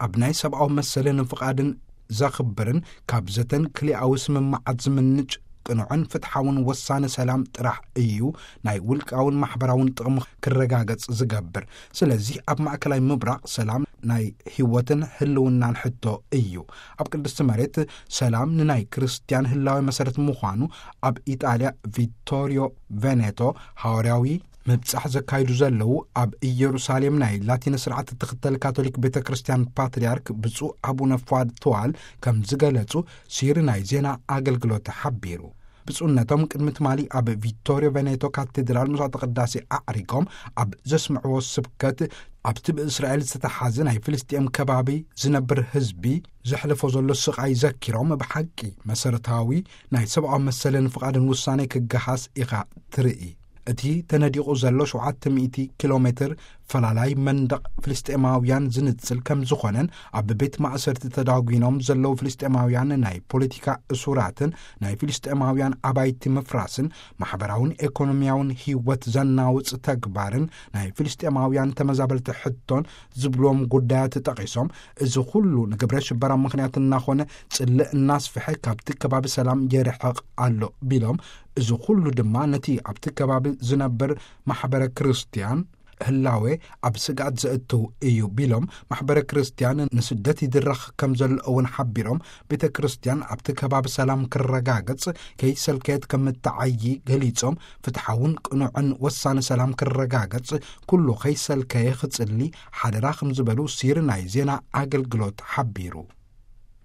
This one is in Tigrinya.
ኣብ ናይ ሰብኣዊ መሰልን ፍቓድን ዘኽብርን ካብ ዘተን ክልኣዊ ስምምዓት ዝምንጭ ቅኑዕን ፍትሓውን ወሳነ ሰላም ጥራሕ እዩ ናይ ውልቃውን ማሕበራውን ጥቕሚ ክረጋገጽ ዝገብር። ስለዚህ ኣብ ማእከላይ ምብራቕ ሰላም ናይ ህይወትን ህልውናን ሕቶ እዩ። ኣብ ቅድስቲ መሬት ሰላም ንናይ ክርስትያን ህላዊ መሰረት ምዃኑ ኣብ ኢጣልያ ቪቶሪዮ ቬኔቶ ሃዋርያዊ ምብጻሕ ዘካይዱ ዘለዉ ኣብ ኢየሩሳሌም ናይ ላቲን ስርዓት እትኽተል ካቶሊክ ቤተ ክርስትያን ፓትርያርክ ብፁዕ ኣቡነ ፏድ ተዋል ከም ዝገለጹ ሲሪ ናይ ዜና ኣገልግሎት ሓቢሩ። ብፁዕነቶም ቅድሚ ትማሊ ኣብ ቪቶሪዮ ቬኔቶ ካቴድራል መስዋዕተ ቅዳሴ ኣዕሪጎም ኣብ ዘስምዕዎ ስብከት ኣብቲ ብእስራኤል ዝተተሓዘ ናይ ፍልስጤም ከባቢ ዝነብር ህዝቢ ዘሕልፎ ዘሎ ስቓይ ዘኪሮም ብሓቂ መሰረታዊ ናይ ሰብኣዊ መሰልን ፍቓድን ውሳኔ ክገሃስ ኢኻ ትርኢ። እቲ ተነዲቑ ዘሎ ሸውዓተ ሚእቲ ኪሎ ሜትር ፈላላይ መንደቕ ፍልስጤማውያን ዝንጽል ከም ዝኾነን ኣብ ቤት ማእሰርቲ ተዳጒኖም ዘለዉ ፍልስጤማውያን ናይ ፖለቲካ እሱራትን ናይ ፍልስጤማውያን ኣባይቲ ምፍራስን ማሕበራውን ኤኮኖሚያውን ህይወት ዘናውጽ ተግባርን ናይ ፍልስጤማውያን ተመዛበልቲ ሕቶን ዝብልዎም ጉዳያት ጠቒሶም፣ እዚ ኩሉ ንግብረ ሽበራ ምኽንያት እናኾነ ጽልእ እናስፍሐ ካብቲ ከባቢ ሰላም የርሕቕ ኣሎ ቢሎም፣ እዚ ኩሉ ድማ ነቲ ኣብቲ ከባቢ ዝነብር ማሕበረ ክርስትያን ህላዌ ኣብ ስግኣት ዘእትው እዩ ቢሎም፣ ማሕበረ ክርስትያን ንስደት ይድረኽ ከም ዘሎ እውን ሓቢሮም፣ ቤተ ክርስትያን ኣብቲ ከባቢ ሰላም ክረጋገጽ ከይሰልከየት ከም እትዓዪ ገሊጾም፣ ፍትሓውን ቅኑዕን ወሳኒ ሰላም ክረጋገጽ ኩሉ ከይሰልከየ ክጽሊ ሓደራ ከም ዝበሉ ሲሪ ናይ ዜና ኣገልግሎት ሓቢሩ።